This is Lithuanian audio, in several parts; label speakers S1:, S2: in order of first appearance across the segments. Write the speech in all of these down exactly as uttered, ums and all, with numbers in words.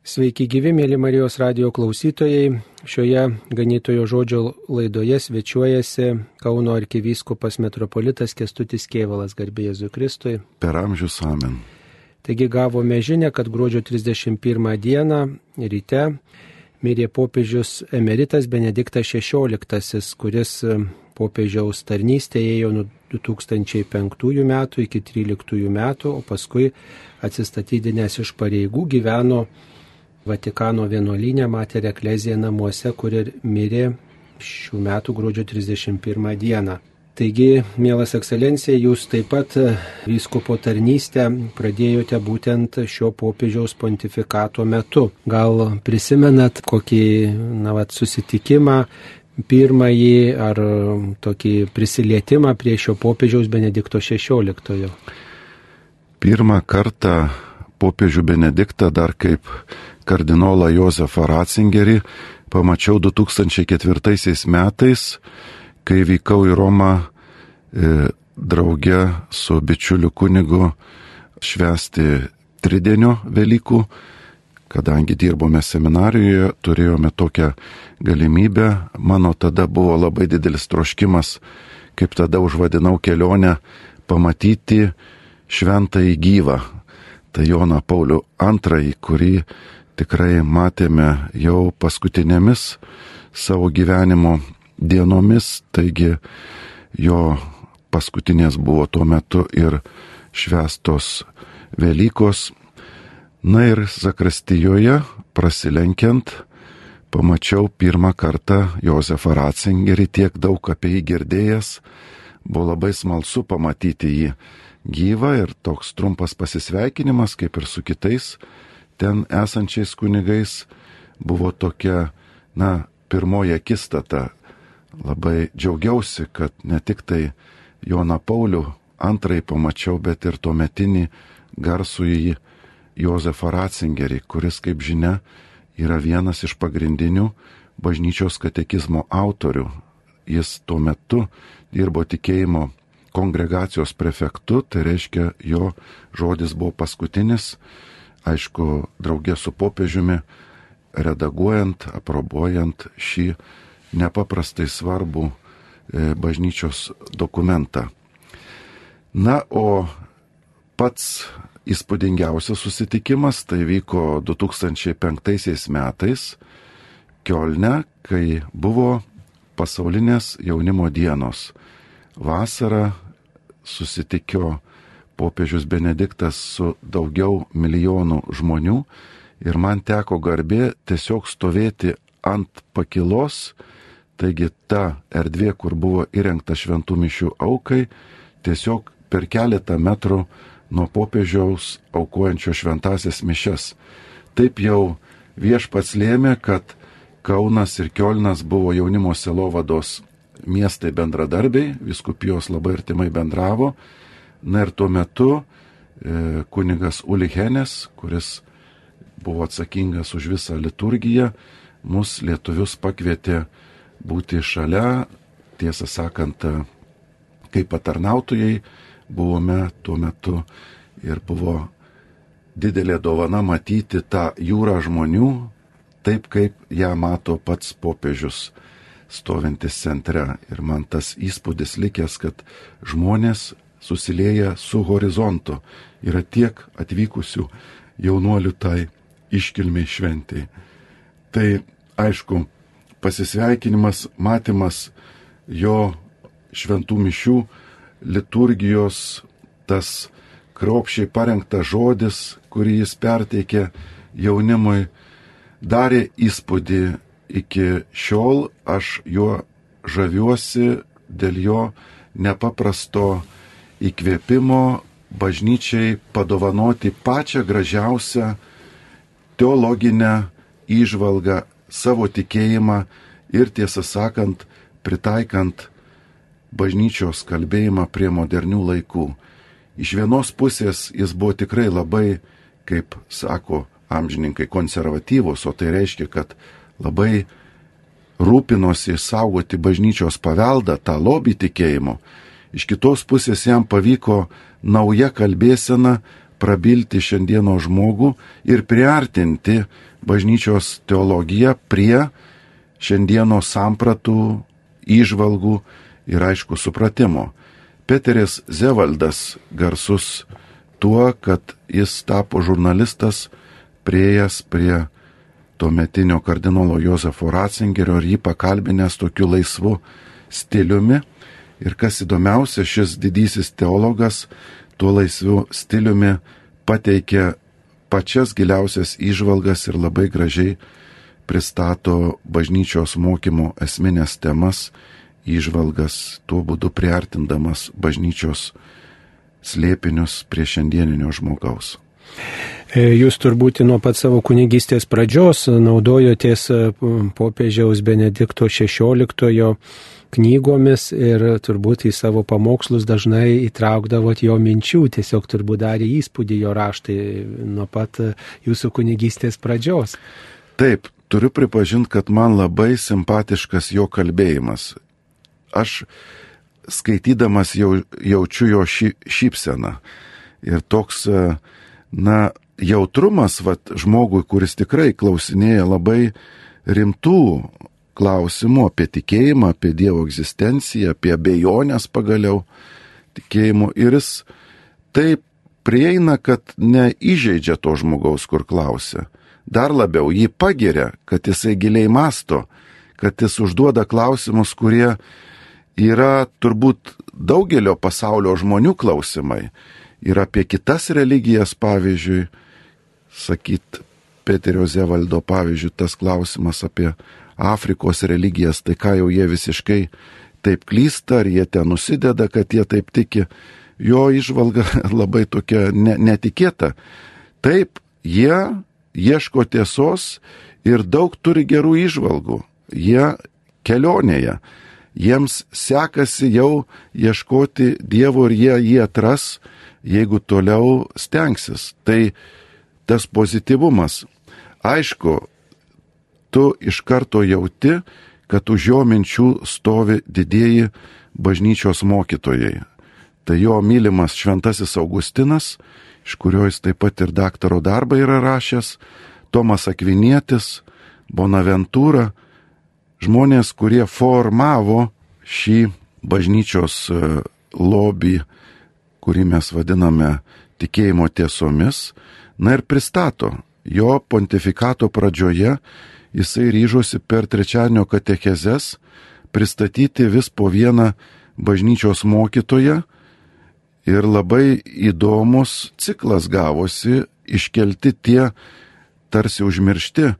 S1: Sveiki gyvi, mėly Marijos radijo klausytojai. Šioje ganytojo žodžio laidoje svečiuojasi Kauno arkivyskupas metropolitas Kęstutis Kėvalas, garbė Jėzui Kristui.
S2: Per amžius amen.
S1: Taigi gavome žinią, kad gruodžio trisdešimt pirmą dieną ryte mirė popiežius emeritas Benediktas šešioliktasis, kuris popiežiaus tarnystėje ėjo nuo du tūkstančiai penktųjų metų iki tryliktųjų metų, o paskui atsistatydinęs iš pareigų gyveno Vatikano vienuolyne Mater Ecclesiae namuose, kur ir mirė šių metų gruodžio trisdešimt pirmą dieną. Taigi, mielas ekscelencija, jūs taip pat vyskupo tarnystę pradėjote būtent šio popiežiaus pontifikato metu. Gal prisimenat kokį na, vat, susitikimą, pirmąjį ar tokį prisilietimą prie šio popiežiaus Benedikto šešioliktojo?
S2: Pirmą kartą popiežių Benediktą dar kaip kardinolą Jozefą Ratzingerį pamačiau du tūkstančiai ketvirtaisiais metais, kai vykau į Romą e, drauge su bičiuliu kunigu švęsti tridienio Velykų. Kadangi dirbome seminarijoje, turėjome tokią galimybę. Mano tada buvo labai didelis troškimas, kaip tada užvadinau kelionę, pamatyti šventąjį gyvą. Tai Joną Paulių antrąjį, kurį tikrai matėme jau paskutinėmis savo gyvenimo dienomis, taigi jo paskutinės buvo tuo metu ir švęstos Velykos. Na ir zakristijoje prasilenkiant pamačiau pirmą kartą Jozefą Ratzingerį, tiek daug apie jį girdėjęs, buvo labai smalsu pamatyti jį gyvą ir toks trumpas pasisveikinimas, kaip ir su kitais ten esančiais kunigais, buvo tokia, na, pirmoji akistata. Labai džiaugiausi, kad ne tik tai Joną Paulių antrąjį pamačiau, bet ir tuometinį garsųjį Jozefą Ratzingerį, kuris, kaip žinia, yra vienas iš pagrindinių bažnyčios katekizmo autorių. Jis tuo metu dirbo tikėjimo kongregacijos prefektu, tai reiškia, jo žodis buvo paskutinis, aišku, draugė su popiežiumi, redaguojant, aprobuojant šį nepaprastai svarbų bažnyčios dokumentą. Na, o pats įspūdingiausias susitikimas tai vyko du tūkstančiai penktaisiais metais Kiolne, kai buvo pasaulinės jaunimo dienos. Vasarą susitikio popiežius Benediktas su daugiau milijonų žmonių ir man teko garbė tiesiog stovėti ant pakilos, taigi ta erdvė, kur buvo įrengta šventų mišių aukai, tiesiog per keletą metrų nuo popiežiaus aukojančio šventasias mišias. Taip jau viešpats lėmė, kad Kaunas ir Kiolnas buvo jaunimo sielovados miestai bendradarbiai, vyskupijos labai artimai bendravo. Na ir tuo metu e, kunigas Ulichenes, kuris buvo atsakingas už visą liturgiją, mus lietuvius pakvietė būti šalia, tiesą sakant, kaip patarnautojai buvome tuo metu ir buvo didelė dovana matyti tą jūrą žmonių, taip kaip ją mato pats popiežius stovintis centre. Ir man tas įspūdis likęs, kad žmonės susilieja su horizontu. Yra tiek atvykusių jaunuolių tai iškilmiai šventei. Tai aišku, pasisveikinimas, matymas jo šventų mišių, liturgijos, tas kruopščiai parengtas žodis, kurį jis perteikė jaunimui, darė įspūdį. Iki šiol aš juo žaviuosi dėl jo nepaprasto įkvėpimo bažnyčiai padovanoti pačią gražiausią teologinę įžvalgą, savo tikėjimą ir, tiesą sakant, pritaikant bažnyčios kalbėjimą prie modernių laikų. Iš vienos pusės jis buvo tikrai labai, kaip sako amžininkai, konservatyvus, o tai reiškia, kad labai rūpinosi saugoti bažnyčios paveldą, tą lobį tikėjimo. Iš kitos pusės jam pavyko nauja kalbėsena prabilti šiandieno žmogų ir priartinti bažnyčios teologiją prie šiandieno sampratų, įžvalgų ir aišku supratimo. Peteris Zevaldas garsus tuo, kad jis tapo žurnalistas, priėjęs prie tuometinio kardinolo Jozefo Ratzingerio ir jį pakalbinęs tokiu laisvu stiliumi. Ir kas įdomiausia, šis didysis teologas tuo laisvu stiliumi pateikė pačias giliausias įžvalgas ir labai gražiai pristato bažnyčios mokymo esminės temas, įžvalgas, tuo būdu priartindamas bažnyčios slėpinius prie šiandieninio žmogaus.
S1: Jūs turbūt nuo pat savo kunigystės pradžios naudojotės popiežiaus Benedikto šešioliktojo knygomis ir turbūt į savo pamokslus dažnai įtraukdavot jo minčių, tiesiog turbūt darė įspūdį jo raštai nuo pat jūsų kunigystės pradžios.
S2: Taip, turiu pripažinti, kad man labai simpatiškas jo kalbėjimas. Aš skaitydamas jau, jaučiu jo šy, šypseną. Ir toks, na, jautrumas, vat, žmogui, kuris tikrai klausinėja labai rimtų klausimų apie tikėjimą, apie Dievo egzistenciją, apie abejonės pagaliau tikėjimų. Ir jis taip prieina, kad neįžeidžia to žmogaus, kur klausia. Dar labiau jį pagiria, kad jisai giliai masto, kad jis užduoda klausimus, kurie yra turbūt daugelio pasaulio žmonių klausimai. Ir apie kitas religijas, pavyzdžiui, sakyt, Peterio Zevaldo, pavyzdžiui, tas klausimas apie Afrikos religijas, tai ką jau jie visiškai taip klysta, ar jie ten nusideda, kad jie taip tiki. Jo įžvalga labai tokia ne, netikėta. Taip, jie ieško tiesos ir daug turi gerų įžvalgų. Jie kelionėje. Jiems sekasi jau ieškoti Dievo ir jie jį atras, jeigu toliau stengsis. Tai tas pozityvumas. Aišku, tu iš karto jauti, kad už jo minčių stovi didieji bažnyčios mokytojai. Tai jo mylimas šventasis Augustinas, iš kurio jis taip pat ir daktaro darbą yra rašęs, Tomas Akvinietis, Bonaventūra, žmonės, kurie formavo šį bažnyčios lobį, kurį mes vadiname tikėjimo tiesomis, na ir pristato. Jo pontifikato pradžioje jisai ryžosi per trečiadienio katechezes pristatyti vis po vieną bažnyčios mokytoją ir labai įdomus ciklas gavosi, iškelti tie tarsi užmiršti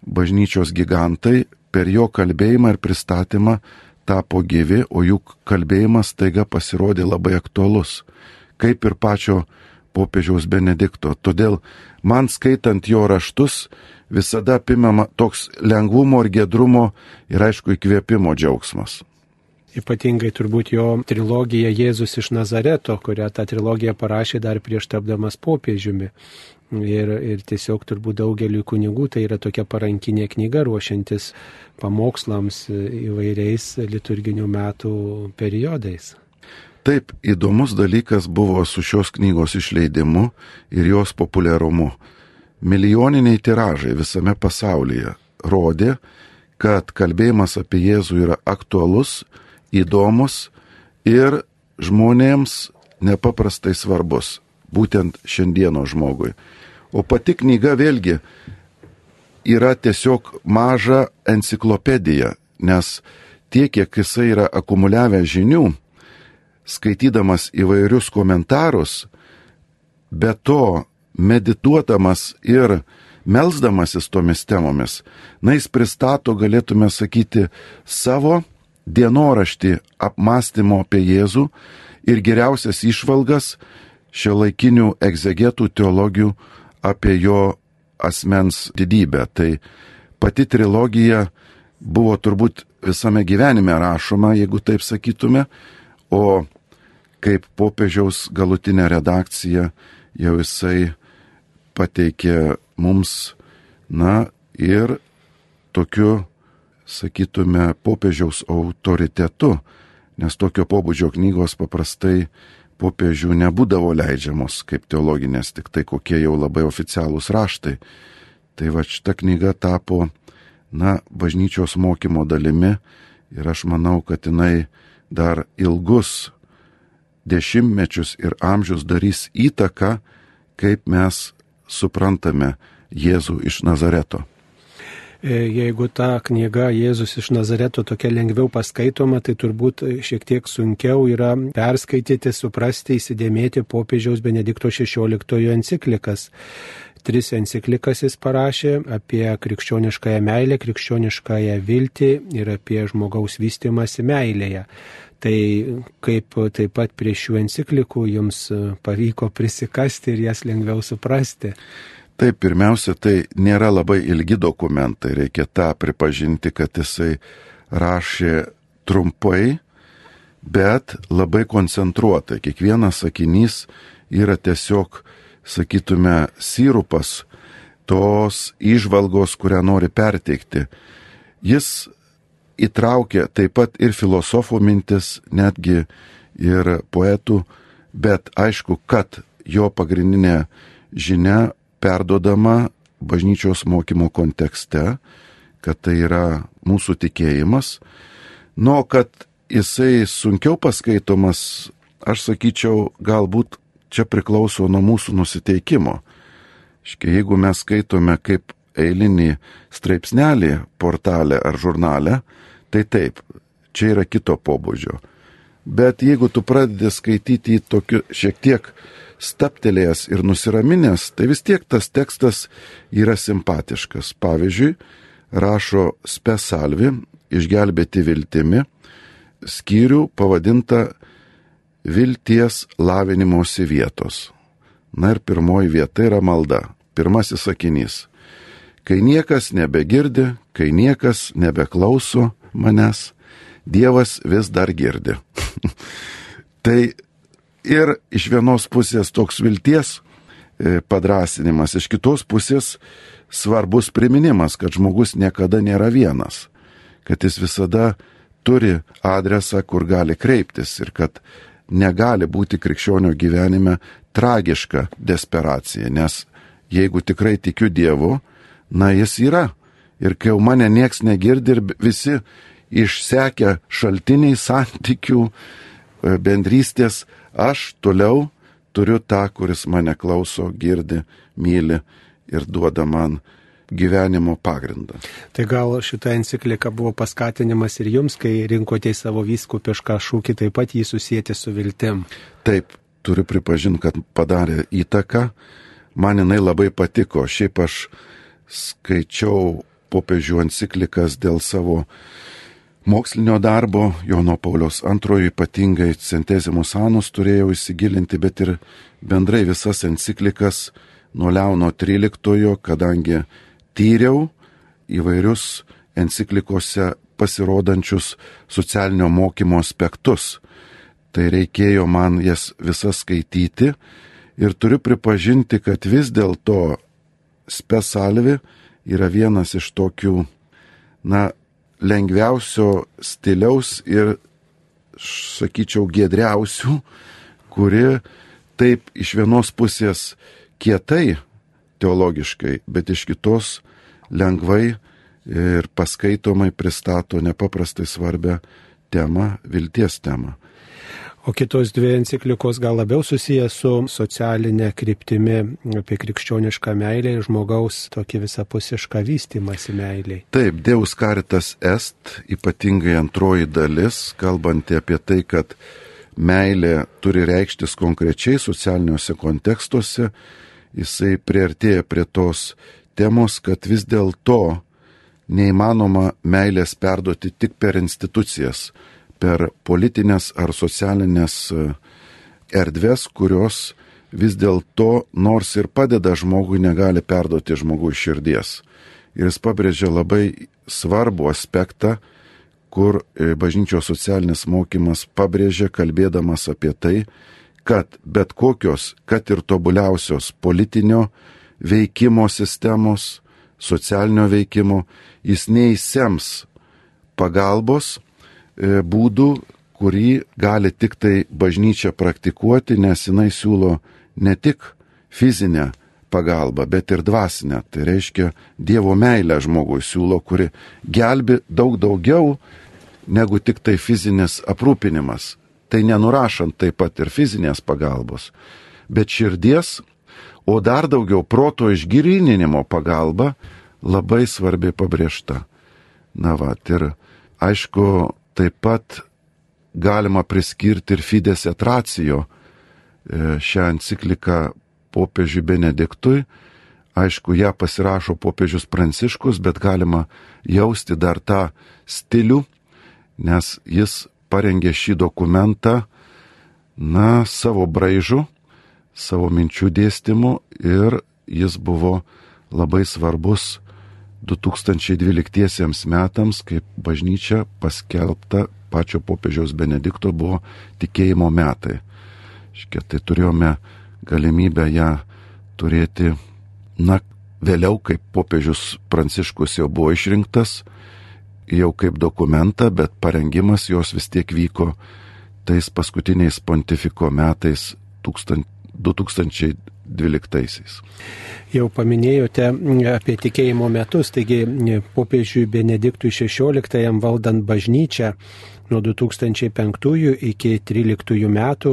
S2: bažnyčios gigantai, per jo kalbėjimą ir pristatymą tapo gyvi, o jų kalbėjimas taiga pasirodė labai aktualus, kaip ir pačio popiežiaus Benedikto. Todėl man skaitant jo raštus visada apimama toks lengvumo ir giedrumo ir aišku įkvėpimo džiaugsmas.
S1: Ypatingai turbūt jo trilogija Jėzus iš Nazareto, kurią tą trilogiją parašė dar prieš tapdamas popiežiumi. Ir, ir tiesiog turbūt daugeliu kunigų tai yra tokia parankinė knyga ruošiantis pamokslams įvairiais liturginių metų periodais.
S2: Taip, įdomus dalykas buvo su šios knygos išleidimu ir jos populiarumu. Milijoniniai tiražai visame pasaulyje rodė, kad kalbėjimas apie Jėzų yra aktualus, įdomus ir žmonėms nepaprastai svarbus, būtent šiandieno žmogui. O pati knyga vėlgi yra tiesiog maža enciklopedija, nes tiek, kiek jisai yra akumuliavę žinių, skaitydamas įvairius komentarus, be to medituodamas ir melsdamasis tomis temomis, na jis pristato, galėtume sakyti, savo dienoraštį apmąstymo apie Jėzų ir geriausias išvalgas šiuolaikinių egzegetų teologijų apie jo asmens didybę. Tai pati trilogija buvo turbūt visame gyvenime rašoma, jeigu taip sakytume, o kaip popiežiaus galutinė redakcija jau jisai pateikė mums, na ir tokiu, sakytume, popiežiaus autoritetu, nes tokio pobūdžio knygos paprastai popiežių nebūdavo leidžiamos kaip teologinės, tik tai kokie jau labai oficialūs raštai. Tai va šita knyga tapo, na, bažnyčios mokymo dalimi ir aš manau, kad jinai dar ilgus dešimtmečius ir amžius darys įtaką, kaip mes suprantame Jėzų iš Nazareto.
S1: Jeigu ta knyga Jėzus iš Nazareto tokia lengviau paskaitoma, tai turbūt šiek tiek sunkiau yra perskaityti, suprasti, įsidėmėti popiežiaus Benedikto šešioliktojo enciklikas. Tris enciklikas jis parašė apie krikščioniškąją meilę, krikščioniškąją viltį ir apie žmogaus vystymąsi meilėje. Tai kaip taip pat prie šių enciklikų jums pavyko prisikasti ir jas lengviau suprasti?
S2: Taip, pirmiausia, tai nėra labai ilgi dokumentai, reikia tą pripažinti, kad jisai rašė trumpai, bet labai koncentruotai. Kiekvienas sakinys yra tiesiog, sakytume, sirupas tos įžvalgos, kurią nori perteikti. Jis įtraukė taip pat ir filosofų mintis, netgi ir poetų, bet aišku, kad jo pagrindinė žinia perdodama bažnyčios mokymo kontekste, kad tai yra mūsų tikėjimas. Nu, kad jisai sunkiau paskaitomas, aš sakyčiau, galbūt čia priklauso nuo mūsų nusiteikimo. Škia, jeigu mes skaitome kaip eilinį straipsnelį portale ar žurnale, tai taip, čia yra kito pobūdžio. Bet jeigu tu pradedi skaityti tokiu šiek tiek staptelėjęs ir nusiraminęs, tai vis tiek tas tekstas yra simpatiškas. Pavyzdžiui, rašo Spes Salvi, išgelbėti viltimi, skyrių pavadinta vilties lavinimosi vietos. Na ir pirmoji vieta yra malda. Pirmasis sakinys. Kai niekas nebegirdi, kai niekas nebeklauso manęs, Dievas vis dar girdi. Tai ir iš vienos pusės toks vilties padrasinimas, iš kitos pusės svarbus priminimas, kad žmogus niekada nėra vienas, kad jis visada turi adresą, kur gali kreiptis ir kad negali būti krikščionio gyvenime tragiška desperacija, nes jeigu tikrai tikiu Dievu, na jis yra. Ir kai jau mane nieks negirdi ir visi išsekę šaltiniai santykių, bendrystės, aš toliau turiu tą, kuris mane klauso, girdi, myli ir duoda man gyvenimo pagrindą.
S1: Tai gal šita enciklika buvo paskatinimas ir jums, kai rinkote į savo vyskupišką šūkį, taip pat jį susijęti su viltim?
S2: Taip, turiu pripažinti, kad padarė įtaką. Man jinai labai patiko. Šiaip aš skaičiau popiežių enciklikas dėl savo mokslinio darbo, Jono Pauliaus antrojo ypatingai Centesimus Annus turėjau įsigilinti, bet ir bendrai visas enciklikas nuo Leono tryliktojo, kadangi tyriau įvairius enciklikose pasirodančius socialinio mokymo aspektus. Tai reikėjo man jas visas skaityti ir turiu pripažinti, kad vis dėlto Spes Salvi yra vienas iš tokių, na, lengviausio stiliaus ir, sakyčiau, giedriausių, kuri taip iš vienos pusės kietai teologiškai, bet iš kitos lengvai ir paskaitomai pristato nepaprastai svarbią temą, vilties temą.
S1: O kitos dvi enciklikos gal labiau susijęs su socialinė kryptimi apie krikščionišką meilę ir žmogaus tokį visapusišką vystymąsi meiliai.
S2: Taip, Deus Caritas Est, ypatingai antroji dalis, kalbanti apie tai, kad meilė turi reikštis konkrečiai socialiniuose kontekstuose, jisai priartėja prie tos temos, kad vis dėlto neįmanoma meilės perduoti tik per institucijas, per politinės ar socialinės erdvės, kurios vis dėlto nors ir padeda žmogui, negali perduoti žmogui širdies. Ir jis pabrėžia labai svarbų aspektą, kur bažnyčios socialinis mokymas pabrėžia, kalbėdamas apie tai, kad bet kokios, kad ir tobuliausios politinio veikimo sistemos, socialinio veikimo, jis neįsems pagalbos būdų, kurį gali tik tai bažnyčia praktikuoti, nes jinai siūlo ne tik fizinę pagalbą, bet ir dvasinę. Tai reiškia Dievo meilę žmogui siūlo, kuri gelbi daug daugiau negu tik tai fizinis aprūpinimas. Tai nenurašant taip pat ir fizinės pagalbos, bet širdies, o dar daugiau proto išgryninimo pagalba labai svarbiai pabrėžta. Na va, ir aišku, taip pat galima priskirti ir Fides et Ratio šią encikliką popiežiui Benediktui. Aišku, ją pasirašo popiežius Pranciškus, bet galima jausti dar tą stilių, nes jis parengė šį dokumentą, na, savo braižu, savo minčių dėstymu ir jis buvo labai svarbus du tūkstančiai dvyliktiesiems metams, kaip bažnyčia paskelbta pačio popiežiaus Benedikto buvo tikėjimo metai. Škia, tai turėjome galimybę ją turėti, na, vėliau, kaip popiežius Pranciškus jau buvo išrinktas, jau kaip dokumentą, bet parengimas jos vis tiek vyko tais paskutiniais pontifiko metais du tūkstančiai dvyliktaisiais.
S1: Jau paminėjote apie tikėjimo metus, taigi popiežiui Benediktui šešioliktajam valdant bažnyčią nuo du tūkstančiai penktųjų iki tryliktųjų metų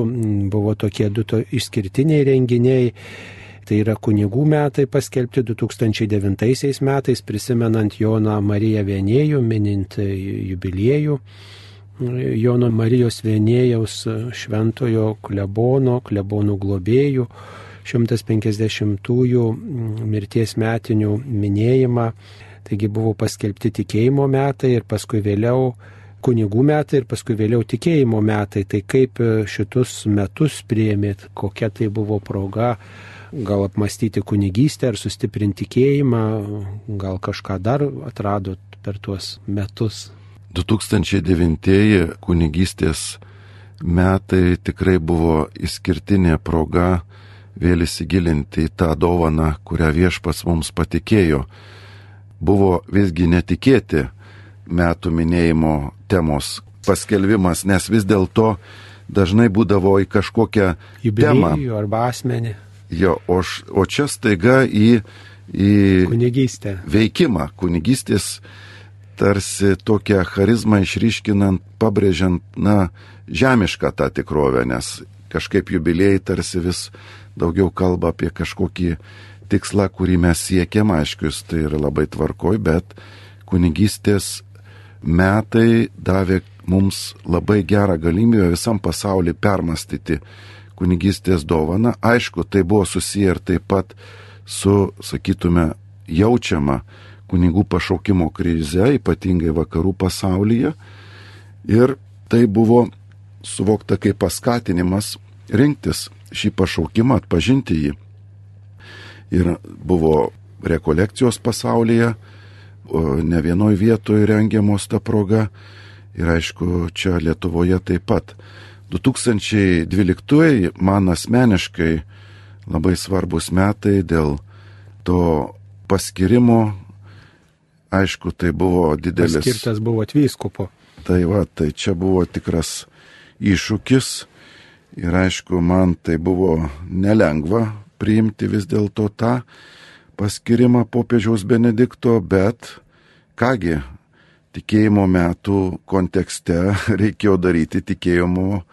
S1: buvo tokie du to išskirtiniai renginiai. Tai yra kunigų metai paskelbti du tūkstančiai devintaisiais metais, prisimenant Joną Mariją Vienėjų, minint jubiliejų. Jono Marijos Vienėjaus šventojo klebono, klebonų globėjų šimtas penkiasdešimtųjų mirties metinių minėjimą. Taigi buvo paskelbti tikėjimo metai ir paskui vėliau kunigų metai ir paskui vėliau tikėjimo metai. Tai kaip šitus metus priėmėt, kokia tai buvo proga, gal apmastyti kunigystę ar sustiprinti tikėjimą, gal kažką dar atradot per tuos metus?
S2: du tūkstančiai devintieji kunigystės metai tikrai buvo išskirtinė proga vėl įsigilinti į tą dovaną, kurią Viešpats mums patikėjo. Buvo visgi netikėti metų minėjimo temos paskelbimas, nes vis dėlto dažnai būdavo į kažkokią temą.
S1: Jubiliejų arba asmenį.
S2: Jo, o, š, o čia staiga į, į
S1: kunigystę.
S2: Veikimą, kunigystės tarsi tokią charizmą išryškinant, pabrėžiant, na, žemišką tą tikrovę, nes kažkaip jubiliejai tarsi vis daugiau kalba apie kažkokį tikslą, kurį mes siekiam, aiškius, tai yra labai tvarkoj, bet kunigystės metai davė mums labai gerą galimybę visam pasauliu permastyti kunigystės dovaną. Aišku, tai buvo susiję ir taip pat su, sakytume, jaučiama kunigų pašaukimo krize, ypatingai vakarų pasaulyje. Ir tai buvo suvokta kaip paskatinimas rinktis šį pašaukimą, atpažinti jį. Ir buvo rekolekcijos pasaulyje, ne vienoj vietoje rengiamos ta proga. Ir aišku, čia Lietuvoje taip pat. du tūkstančiai dvyliktieji man asmeniškai labai svarbus metai dėl to paskirimo. Aišku, tai buvo didelis...
S1: Paskirtas buvo vyskupo.
S2: Tai va, tai čia buvo tikras iššūkis ir aišku, man tai buvo nelengva priimti vis dėlto tą paskirimą popiežiaus Benedikto, bet kągi, tikėjimo metų kontekste reikėjo daryti tikėjimo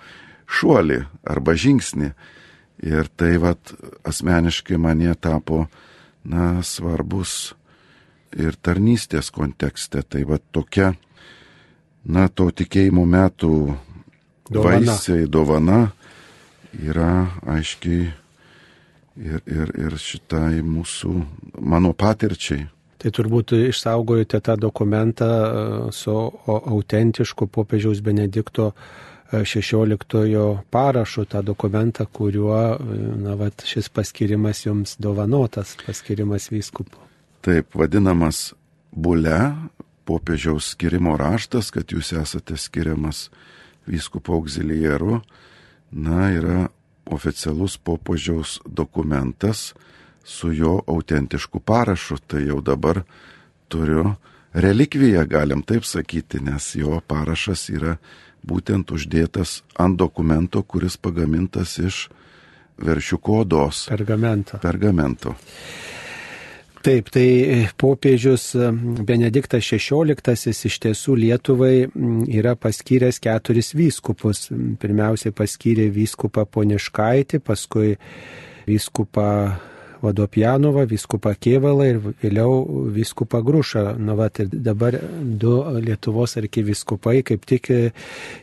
S2: šuolį arba žingsnį. Ir tai vat asmeniškai man jie tapo, na, svarbus ir tarnystės kontekste. Tai vat tokia, na, to tikėjimo metų dovana. Vaisiai, dovana yra aiškiai ir, ir, ir šitai mūsų, mano patirčiai.
S1: Tai turbūt išsaugojate tą dokumentą su autentišku popiežiaus Benedikto šešioliktojo parašu, tą dokumentą, kuriuo, na, vat, šis paskirimas jums dovanotas, paskirimas vyskupu.
S2: Taip, vadinamas bule, popiežiaus skirimo raštas, kad jūs esate skiriamas vyskupo auxiliaru, na, yra oficialus popiežiaus dokumentas su jo autentišku parašu. Tai jau dabar turiu relikviją, galim taip sakyti, nes jo parašas yra būtent uždėtas ant dokumento, kuris pagamintas iš veršiuko odos.
S1: Pergamento.
S2: Pergamento.
S1: Taip, tai popiežius Benediktas šešioliktasis iš tiesų Lietuvai yra paskyręs keturis vyskupus. Pirmiausiai paskyrė vyskupą Poniškaitį, paskui vyskupą Vodopjanovą, vyskupą Kėvalą ir vėliau vyskupą Grušą. Na, va, ir dabar du Lietuvos arkivyskupai kaip tik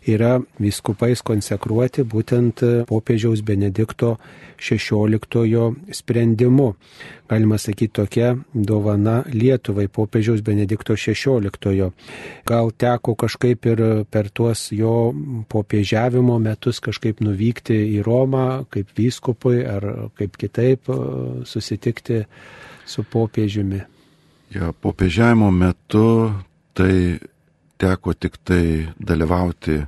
S1: yra vyskupais konsekruoti būtent popiežiaus Benedikto šešioliktojo sprendimu. Galima sakyti, tokia dovana Lietuvai popiežiaus Benedikto šešioliktojo. Gal teko kažkaip ir per tuos jo popiežiavimo metus kažkaip nuvykti į Romą kaip vyskupui ar kaip kitaip susitikti su popiežiumi?
S2: Ja, popiežiavimo metu tai teko tik tai dalyvauti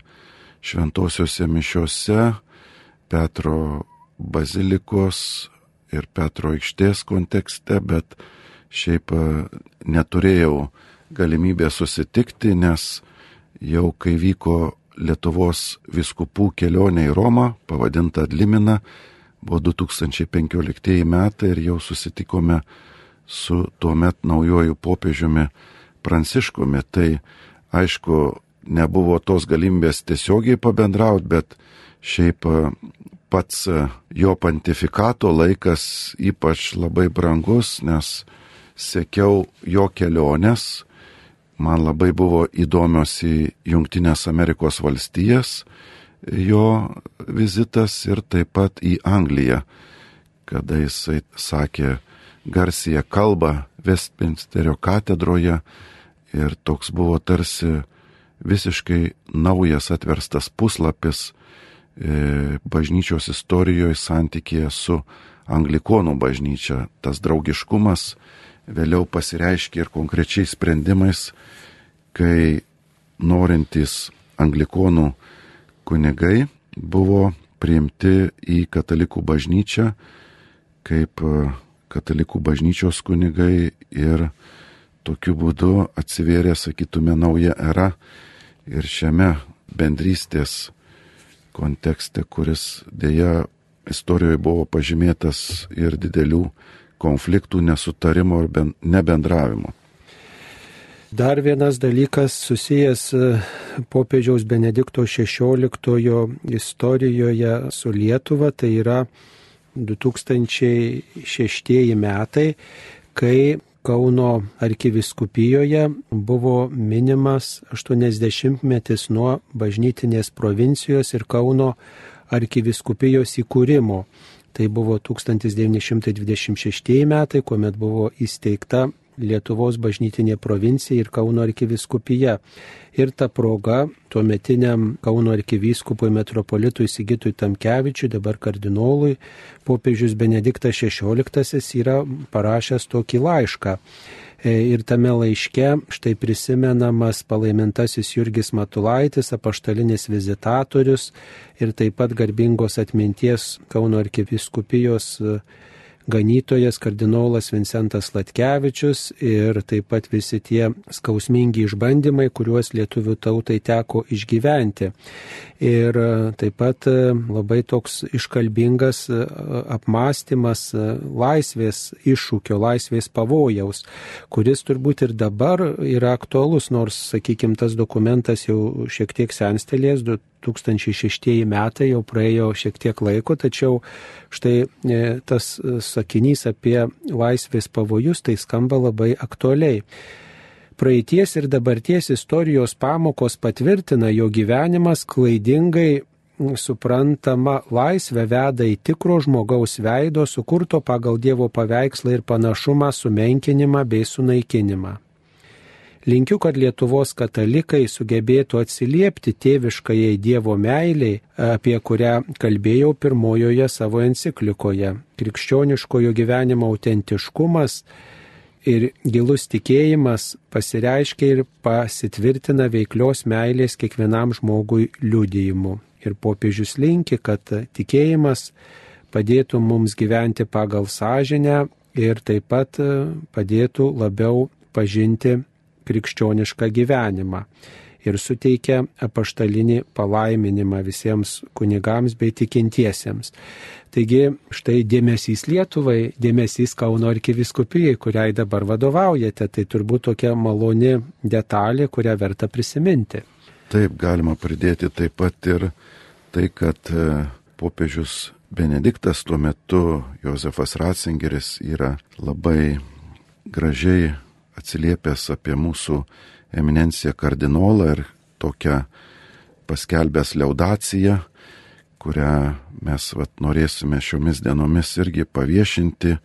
S2: šventosiuose mišiuose Petro bazilikos ir Petro aikštės kontekste, bet šiaip neturėjau galimybę susitikti, nes jau kai vyko Lietuvos vyskupų kelionė į Romą, pavadinta Adlimina, buvo du tūkstančiai penkioliktieji metai ir jau susitikome su tuomet naujoju popiežiumi Pranciškumi. Tai aišku, nebuvo tos galimybės tiesiogiai pabendrauti, bet šiaip pats jo pontifikato laikas ypač labai brangus, nes sekiau jo keliones, man labai buvo įdomios į Jungtinės Amerikos valstijas jo vizitas ir taip pat į Angliją, kada jisai sakė garsiąją kalbą Westminsterio katedroje ir toks buvo tarsi visiškai naujas atverstas puslapis bažnyčios istorijoje santykėje su anglikonų bažnyčia. Tas draugiškumas vėliau pasireiškė ir konkrečiais sprendimais, kai norintys anglikonų kunigai buvo priimti į katalikų bažnyčią kaip katalikų bažnyčios kunigai ir tokiu būdu atsivėrė, sakytume, nauja era ir šiame bendrystės kontekste, kuris dėja istorijoje buvo pažymėtas ir didelių konfliktų, nesutarimo ir nebendravimo.
S1: Dar vienas dalykas susijęs popiežiaus Benedikto šešioliktojo istorijoje su Lietuva, tai yra du tūkstančiai šeštieji metai, kai Kauno arkivyskupijoje buvo minimas aštuoniasdešimtmetis nuo bažnytinės provincijos ir Kauno arkivyskupijos įkūrimo. Tai buvo tūkstantis devyni šimtai dvidešimt šeštieji metai, kuomet buvo įsteigta Lietuvos bažnytinė provincija ir Kauno arkivyskupija. Ir ta proga tuometiniam Kauno arkivyskupui metropolitui Sigitui Tamkevičiui, dabar kardinolui, popiežius Benediktas šešioliktasis yra parašęs tokį laišką. Ir tame laiške štai prisimenamas palaimintasis Jurgis Matulaitis, apaštalinis vizitatorius ir taip pat garbingos atminties Kauno arkivyskupijos ganytojas kardinolas Vincentas Latkevičius ir taip pat visi tie skausmingi išbandymai, kuriuos lietuvių tautai teko išgyventi. Ir taip pat labai toks iškalbingas apmąstymas laisvės iššūkio, laisvės pavojaus, kuris turbūt ir dabar yra aktualus, nors, sakykime, tas dokumentas jau šiek tiek senstelės, du tūkstančiai šeštieji metai, jau praėjo šiek tiek laiko, tačiau štai tas sakinys apie laisvės pavojus tai skamba labai aktualiai. Praeities ir dabarties istorijos pamokos patvirtina, jo gyvenimas klaidingai suprantama laisvė veda į tikro žmogaus veido, sukurto pagal Dievo paveikslą ir panašumą sumenkinimą bei sunaikinimą. Linkiu, kad Lietuvos katalikai sugebėtų atsiliepti tėviškajai Dievo meiliai, apie kurią kalbėjau pirmojoje savo enciklikoje. Krikščioniškojo gyvenimo autentiškumas ir gilus tikėjimas pasireiškia ir pasitvirtina veiklios meilės kiekvienam žmogui liudijimu. Ir popiežius linki, kad tikėjimas padėtų mums gyventi pagal sąžinę ir taip pat padėtų labiau pažinti krikščionišką gyvenimą. ir suteikia apaštalinį palaiminimą visiems kunigams bei tikintiesiems. Taigi štai dėmesys Lietuvai, dėmesys Kauno arkivyskupijai, kuriai dabar vadovaujate, tai turbūt tokia maloni detalė, kurią verta prisiminti.
S2: Taip, galima pridėti taip pat ir tai, kad popiežius Benediktas tuo metu, Jozefas Ratzingeris, yra labai gražiai atsiliepęs apie mūsų eminenciją kardinolą ir tokią paskelbęs liaudaciją, kurią mes vat, norėsime šiomis dienomis irgi paviešinti.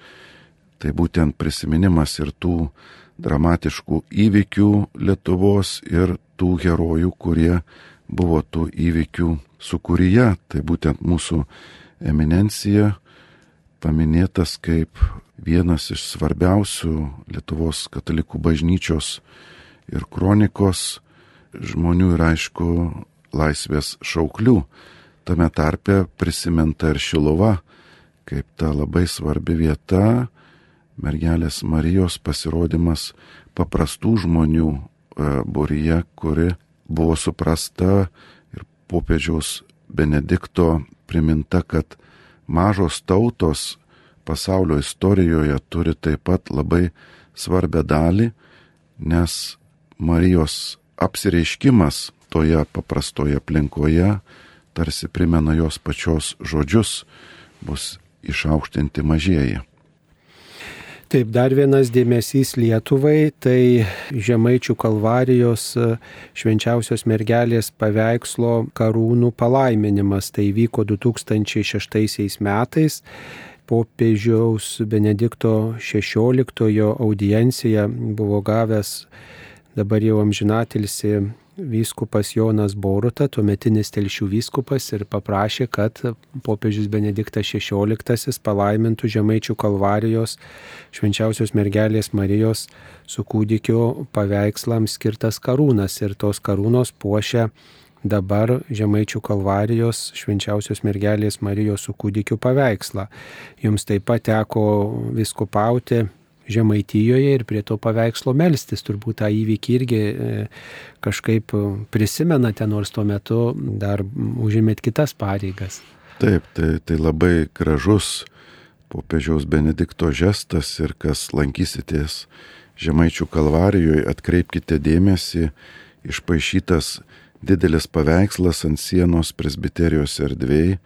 S2: Tai būtent prisiminimas ir tų dramatiškų įvykių Lietuvos ir tų herojų, kurie buvo tų įvykių sūkuryje. Tai būtent mūsų eminencija paminėtas kaip vienas iš svarbiausių Lietuvos katalikų bažnyčios ir kronikos žmonių ir aišku laisvės šauklių. Tame tarpe prisiminta ir Šiluva, kaip ta labai svarbi vieta, mergelės Marijos pasirodymas paprastų žmonių būryje, kuri buvo suprasta ir popiežiaus Benedikto priminta, kad mažos tautos pasaulio istorijoje turi taip pat labai svarbę dalį, nes Marijos apsireiškimas toje paprastoje aplinkoje tarsi primena jos pačios žodžius, bus išaukštinti mažieji.
S1: Taip, dar vienas dėmesys Lietuvai, tai Žemaičių Kalvarijos švenčiausios mergelės paveikslo karūnų palaiminimas. Tai vyko du tūkstančiai šeštaisiais metais. Popiežiaus Benedikto šešioliktojo audienciją buvo gavęs dabar jau amžinatilsį vyskupas Jonas Boruta, tuometinis Telšių vyskupas, ir paprašė, kad popiežius Benediktas šešioliktasis palaimintų Žemaičių Kalvarijos švenčiausios mergelės Marijos su kūdikio paveikslams skirtas karūnas. Ir tos karūnos puošia dabar Žemaičių Kalvarijos švenčiausios mergelės Marijos su kūdikiu paveikslą. Jums taip pat teko vyskupauti Žemaitijoje ir prie to paveikslo melstis. Turbūt tą įvykį irgi kažkaip prisimenate, nors tuo metu dar užėmėt kitas pareigas.
S2: Taip, tai, tai labai gražus popiežiaus Benedikto žestas ir kas lankysitės Žemaičių Kalvarijoje, atkreipkite dėmesį, išpaišytas didelis paveikslas ant sienos presbiterijos erdvėj,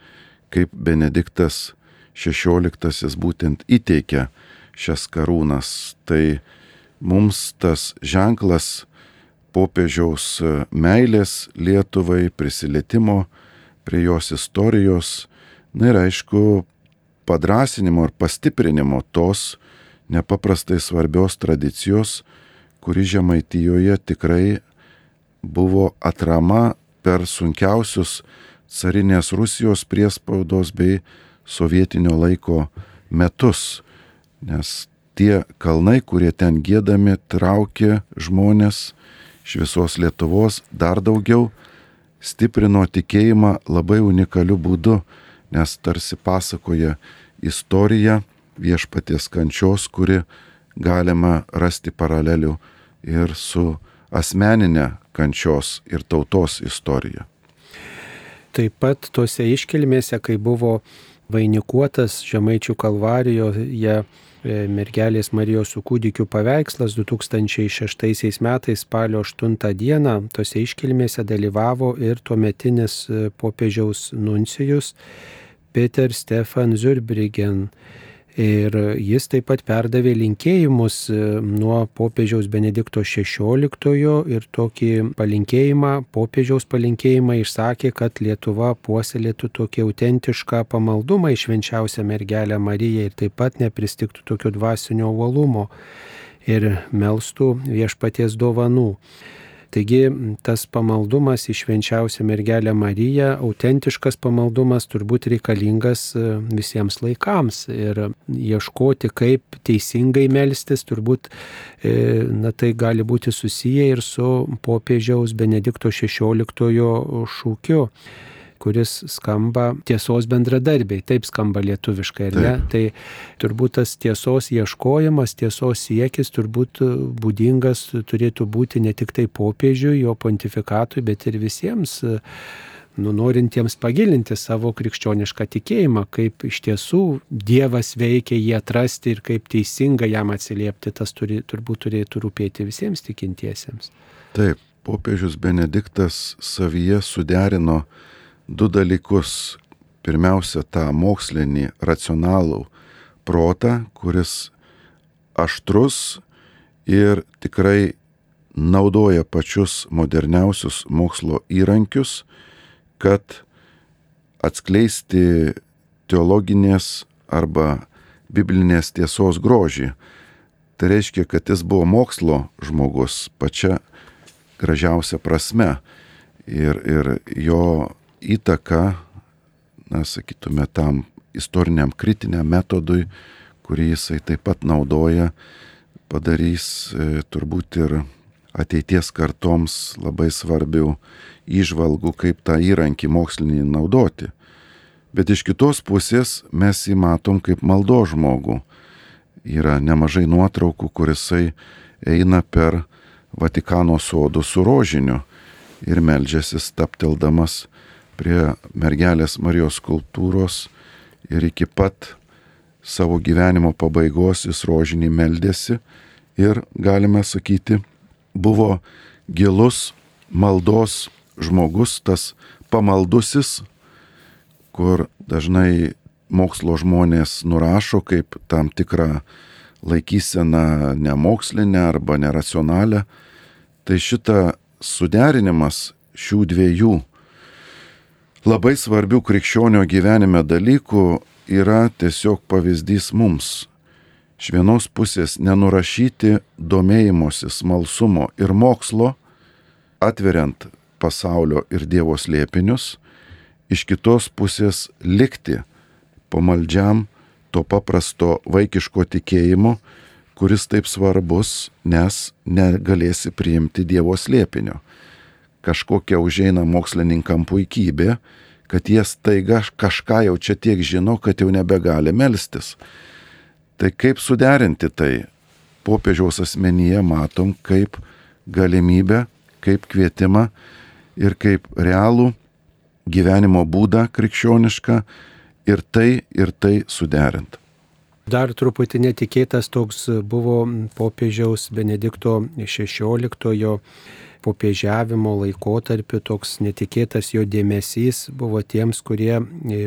S2: kaip Benediktas šešioliktasis būtent įteikia šias karūnas. Tai mums tas ženklas popiežiaus meilės Lietuvai, prisilietimo prie jos istorijos, na ir aišku, padrasinimo ir pastiprinimo tos nepaprastai svarbios tradicijos, kuri Žemaitijoje tikrai buvo atrama per sunkiausius carinės Rusijos priespaudos bei sovietinio laiko metus. Nes tie kalnai, kurie ten giedami, traukė žmonės iš visos Lietuvos, dar daugiau stiprino tikėjimą labai unikaliu būdu, nes tarsi pasakoja istoriją viešpaties kančios, kuri galima rasti paralelių ir su asmeninė kančios ir tautos istorija.
S1: Taip pat tose iškilmėse, kai buvo vainikuotas Žemaičių Kalvarijoje mergelės Marijos su kūdikiu paveikslas du tūkstančiai šeštaisiais metais spalio aštuntą dieną, tose iškilmėse dalyvavo ir tuometinis popiežiaus nuncijus Peter Stefan Zurbriggen. Ir jis taip pat perdavė linkėjimus nuo popiežiaus Benedikto šešioliktojo ir tokį palinkėjimą, popiežiaus palinkėjimą išsakė, kad Lietuva puoselėtų tokį autentišką pamaldumą į švenčiausią mergelę Mariją ir taip pat nepristigtų tokio dvasinio uolumo ir melstų viešpaties dovanų. Taigi tas pamaldumas į švenčiausią mergelę Mariją, autentiškas pamaldumas turbūt reikalingas visiems laikams ir ieškoti, kaip teisingai melstis, turbūt na, tai gali būti susiję ir su popiežiaus Benedikto šešioliktojo šūkiu. kuris skamba tiesos bendradarbiai, taip skamba lietuviškai, ar ne? Tai turbūt tas tiesos ieškojimas, tiesos siekis turbūt būdingas turėtų būti ne tik tai popiežiui, jo pontifikatui, bet ir visiems nu, norintiems pagilinti savo krikščionišką tikėjimą, kaip iš tiesų Dievas veikia jį atrasti ir kaip teisinga jam atsiliepti, tas turi, turbūt turėtų rūpėti visiems tikintiesiems.
S2: Taip, popiežius Benediktas savyje suderino du dalykus. Pirmiausia, tą mokslinį, racionalų protą, kuris aštrus ir tikrai naudoja pačius moderniausius mokslo įrankius, kad atskleisti teologinės arba biblinės tiesos grožį. Tai reiškia, kad jis buvo mokslo žmogus pačia gražiausia prasme ir, ir jo įtaka, na, sakytume, tam istoriniam kritiniam metodui, kurį jisai taip pat naudoja, padarys e, turbūt ir ateities kartoms labai svarbių įžvalgų, kaip tą įrankį mokslinį naudoti. Bet iš kitos pusės mes jį matom kaip maldo žmogų. Yra nemažai nuotraukų, kur jisai eina per Vatikano sodų su rožiniu ir meldžiasi stapteldamas prie mergelės Marijos skulptūros ir iki pat savo gyvenimo pabaigos jis rožinį meldėsi ir, galime sakyti, buvo gilus maldos žmogus, tas pamaldusis, kur dažnai mokslo žmonės nurašo kaip tam tikrą laikyseną nemokslinę arba neracionalią. Tai šita suderinimas šių dviejų labai svarbių krikščionio gyvenime dalykų yra tiesiog pavyzdys mums. Iš vienos pusės nenurašyti domėjimosi, smalsumo ir mokslo, atveriant pasaulio ir Dievo slėpinius, iš kitos pusės likti pamaldžiam to paprasto vaikiško tikėjimo, kuris taip svarbus, nes negalėsi priimti Dievo slėpinio. Kažkokia užeina mokslininkam puikybė, kad jie staiga kažką jau čia tiek žino, kad jau nebegali melstis. Tai kaip suderinti tai? Popiežiaus asmenyje matom kaip galimybę, kaip kvietimą ir kaip realų gyvenimo būdą krikščionišką ir tai ir tai suderint.
S1: Dar truputį netikėtas toks buvo popiežiaus Benedikto šešioliktojo popiežiavimo laikotarpiu, toks netikėtas jo dėmesys buvo tiems, kurie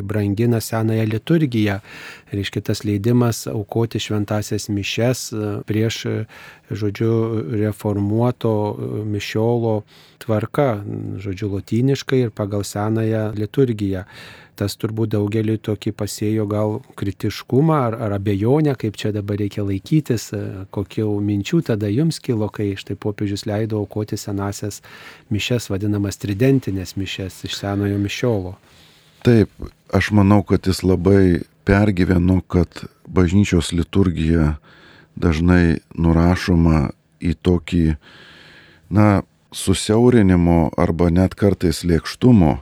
S1: brangina senąją liturgiją. Reiškia, tas leidimas aukoti šventąsias mišias prieš, žodžiu, reformuoto mišiolo tvarka, žodžiu, lotyniškai ir pagal senąją liturgiją. Tas turbūt daugeliui tokį pasėjo gal kritiškumą ar, ar abejonę, kaip čia dabar reikia laikytis, kokių minčių tada jums kilo, kai štai popiežius leido aukoti senasias mišias, vadinamas tridentinės mišias iš senojo mišiolo.
S2: Taip, aš manau, kad jis labai pergyveno, kad bažnyčios liturgija dažnai nurašoma į tokį, na, susiaurinimo arba net kartais lėkštumo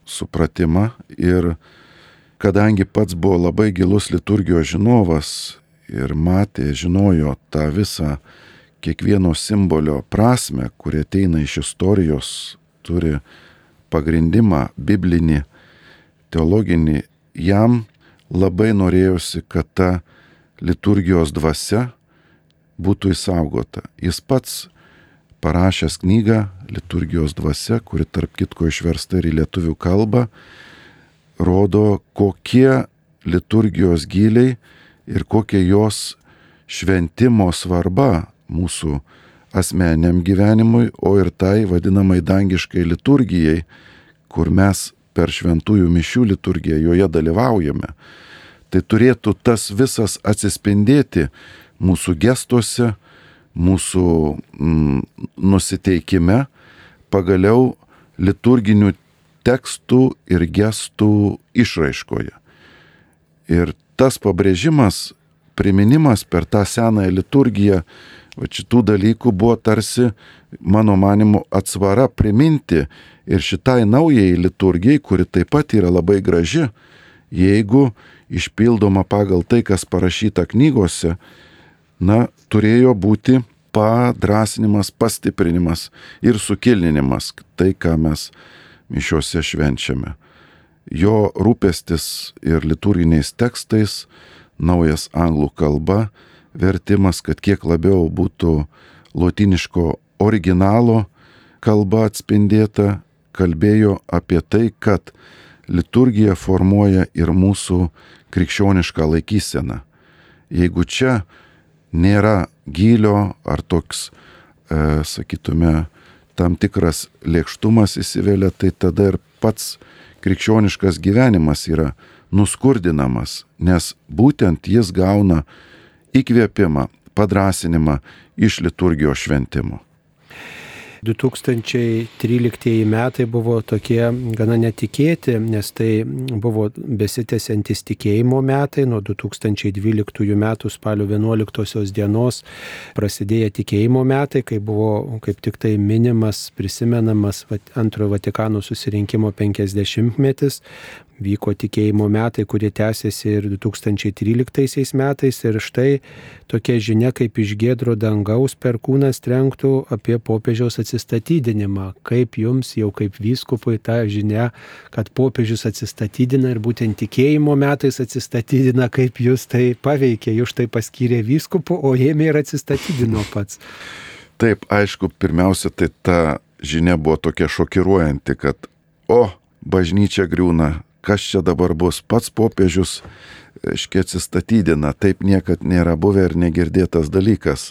S2: supratimą ir kadangi pats buvo labai gilus liturgijos žinovas ir matė, žinojo tą visą kiekvieno simbolio prasme, kurie ateina iš istorijos, turi pagrindimą biblinį, teologinį, jam labai norėjosi, kad ta liturgijos dvasia būtų išsaugota. Jis pats parašęs knygą Liturgijos dvasia, kuri tarp kitko išversta ir į lietuvių kalbą, rodo, kokie liturgijos gyliai ir kokia jos šventimo svarba mūsų asmeniniam gyvenimui, o ir tai vadinamai dangiškai liturgijai, kur mes per šventųjų mišių liturgiją joje dalyvaujame. Tai turėtų tas visas atsispindėti mūsų gestuose, mūsų mm, nusiteikime, pagaliau liturginių tekstų ir gestų išraiškoje. Ir tas pabrėžimas, priminimas per tą senąją liturgiją Va šitų dalykų buvo tarsi, mano manimu, atsvara priminti ir šitai naujai liturgijai, kuri taip pat yra labai graži, jeigu išpildoma pagal tai, kas parašyta knygose, na, turėjo būti padrasinimas, pastiprinimas ir sukilninimas, tai, ką mes mišiose švenčiame. Jo rūpestis ir liturginiais tekstais, naujas anglų kalba, vertimas, kad kiek labiau būtų lotyniško originalo kalba atspindėta, kalbėjo apie tai, kad liturgija formuoja ir mūsų krikščionišką laikyseną. Jeigu čia nėra gylio ar toks, e, sakytume, tam tikras lėkštumas įsivelia, tai tada ir pats krikščioniškas gyvenimas yra nuskurdinamas, nes būtent jis gauna įkvėpimą, padrasinimą iš liturgijos šventimo.
S1: du tūkstančiai tryliktieji metai buvo tokie gana netikėti, nes tai buvo besitęsiantis tikėjimo metai. Nuo du tūkstančiai dvyliktųjų metų spalio vienuoliktosios dienos prasidėjo tikėjimo metai, kai buvo kaip tik tai minimas, prisimenamas antrojo Vatikano susirinkimo penkiasdešimtmetis. Vyko tikėjimo metai, kurie tęsiasi ir du tūkstančiai tryliktaisiais metais. Ir štai tokia žinia, kaip iš giedro dangaus per kūnas trenktų apie popiežiaus atsistatydinimą. Kaip jums, jau kaip vyskupui, ta žinia, kad popiežius atsistatydina ir būtent tikėjimo metais atsistatydina, kaip jūs tai paveikė, jūs tai paskyrė vyskupu, o ėmė ir atsistatydino pats.
S2: Taip, aišku, pirmiausia, tai ta žinia buvo tokia šokiruojanti, kad o, bažnyčia griūna. Kas čia dabar bus? Pats popiežius, aiškiai, atsistatydina, taip niekad nėra buvę ir negirdėtas dalykas.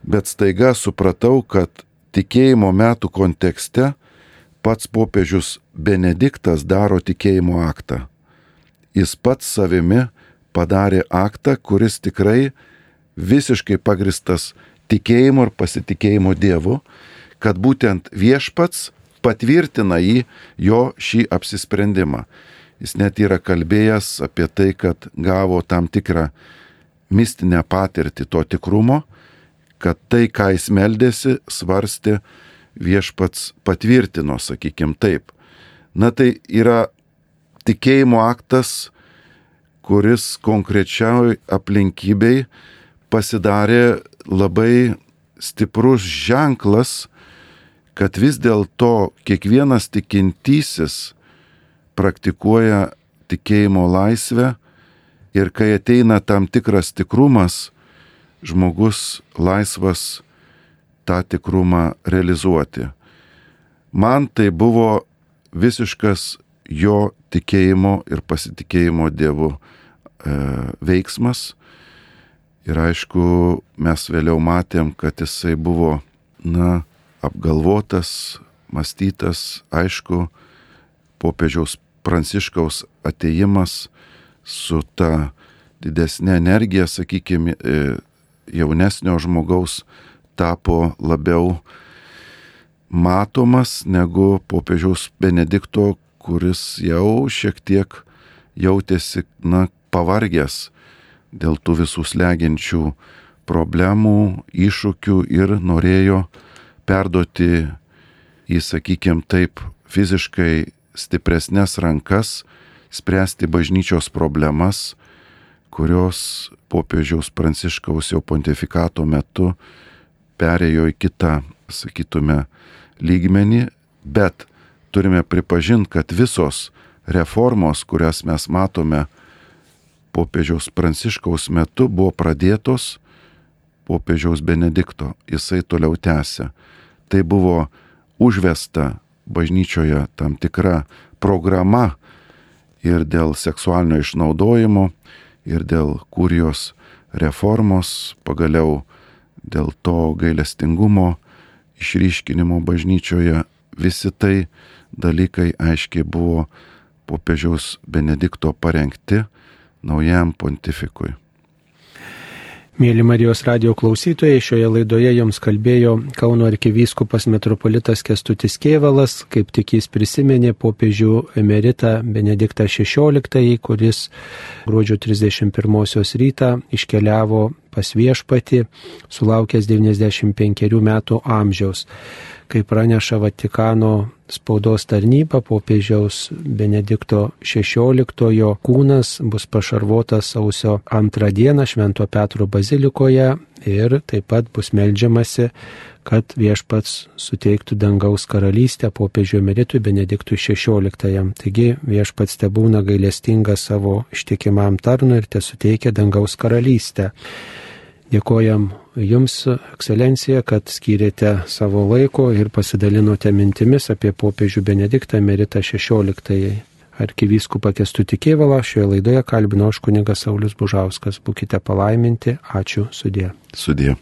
S2: Bet staiga supratau, kad tikėjimo metų kontekste pats popiežius Benediktas daro tikėjimo aktą. Jis pats savimi padarė aktą, kuris tikrai visiškai pagristas tikėjimu ir pasitikėjimu Dievu, kad būtent viešpats patvirtina jį, jo šį apsisprendimą. Jis net yra kalbėjęs apie tai, kad gavo tam tikrą mistinę patirtį to tikrumo, kad tai, ką jis meldėsi, svarstė, viešpats patvirtino, sakykim taip. Na tai yra tikėjimo aktas, kuris konkrečiai aplinkybei pasidarė labai stiprus ženklas, kad vis dėlto kiekvienas tikintysis praktikuoja tikėjimo laisvę ir kai ateina tam tikras tikrumas, žmogus laisvas tą tikrumą realizuoti. Man tai buvo visiškas jo tikėjimo ir pasitikėjimo Dievu e, veiksmas. Ir aišku, mes vėliau matėm, kad jisai buvo, na, apgalvotas, mąstytas, aišku, popiežiaus Pranciškaus atėjimas su ta didesnė energija, sakykime, jaunesnio žmogaus tapo labiau matomas negu popiežiaus Benedikto, kuris jau šiek tiek jautėsi, na, pavargęs dėl tų visų slegiančių problemų, iššūkių ir norėjo perduoti į, sakykime taip, fiziškai stipresnės rankas, spręsti bažnyčios problemas, kurios popiežiaus Pranciškaus jau pontifikato metu perėjo į kitą, sakytume, lygmenį, bet turime pripažinti, kad visos reformos, kurias mes matome popiežiaus Pranciškaus metu, buvo pradėtos popiežiaus Benedikto. Jisai toliau tęsia. Tai buvo užvesta bažnyčioje tam tikra programa ir dėl seksualinio išnaudojimo, ir dėl kurijos reformos, pagaliau dėl to gailestingumo išryškinimo bažnyčioje. Visi tai dalykai aiškiai buvo popiežiaus Benedikto parengti naujam pontifikui.
S1: Mėly Marijos radijo klausytojai, šioje laidoje jums kalbėjo Kauno arkivyskupas metropolitas Kęstutis Kėvalas, kaip tik jis prisiminė popiežių emeritą Benediktą šešioliktąjį, kuris gruodžio trisdešimt pirmosios rytą iškeliavo pas viešpatį, sulaukęs devyniasdešimt penkerių metų amžiaus. Kaip praneša Vatikano spaudos tarnyba, popiežiaus Benedikto šešioliktojo kūnas bus pašarvotas sausio antrą dieną Švento Petro bazilikoje ir taip pat bus meldžiamasi, kad viešpats suteiktų dangaus karalystę popiežiui emeritui Benediktui šešioliktajam. Taigi viešpats tebūna gailestingas savo ištikimam tarnui ir tesuteikia dangaus karalystę. Dėkojam Jums, ekscelencija, kad skyrėte savo laiko ir pasidalinote mintimis apie popiežių Benediktą emeritą šešioliktąjį. Arkivyskupą Kęstutį Kėvalą šioje laidoje kalbino aš kunigas Saulius Bužauskas. Būkite palaiminti. Ačiū. Sudie.
S2: Sudie.